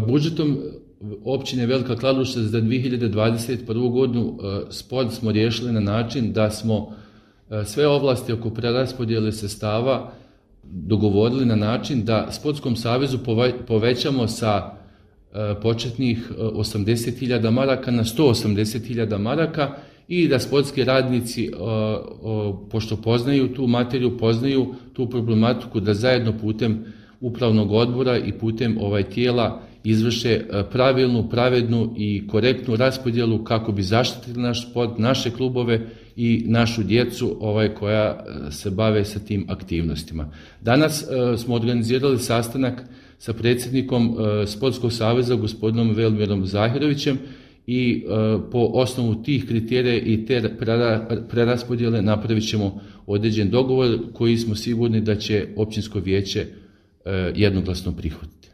Budžetom općine Velika Kladuša za 2021. godinu sport smo riješili na način da smo sve ovlasti oko preraspodjele sredstava dogovorili na način da Sportskom savezu povećamo sa početnih 80.000 maraka na 180.000 maraka i da sportski radnici, pošto poznaju tu materiju, poznaju tu problematiku, da zajedno putem upravnog odbora i putem tijela izvrše pravilnu, pravednu i korektnu raspodjelu kako bi zaštitili naš sport, naše klubove i našu djecu koja se bave sa tim aktivnostima. Danas smo organizirali sastanak sa predsjednikom Sportskog saveza, gospodinom Velmirom Zahirovićem, i po osnovu tih kriterija i te preraspodjele napravit ćemo određen dogovor koji smo sigurni da će općinsko vijeće jednoglasno prihvatiti.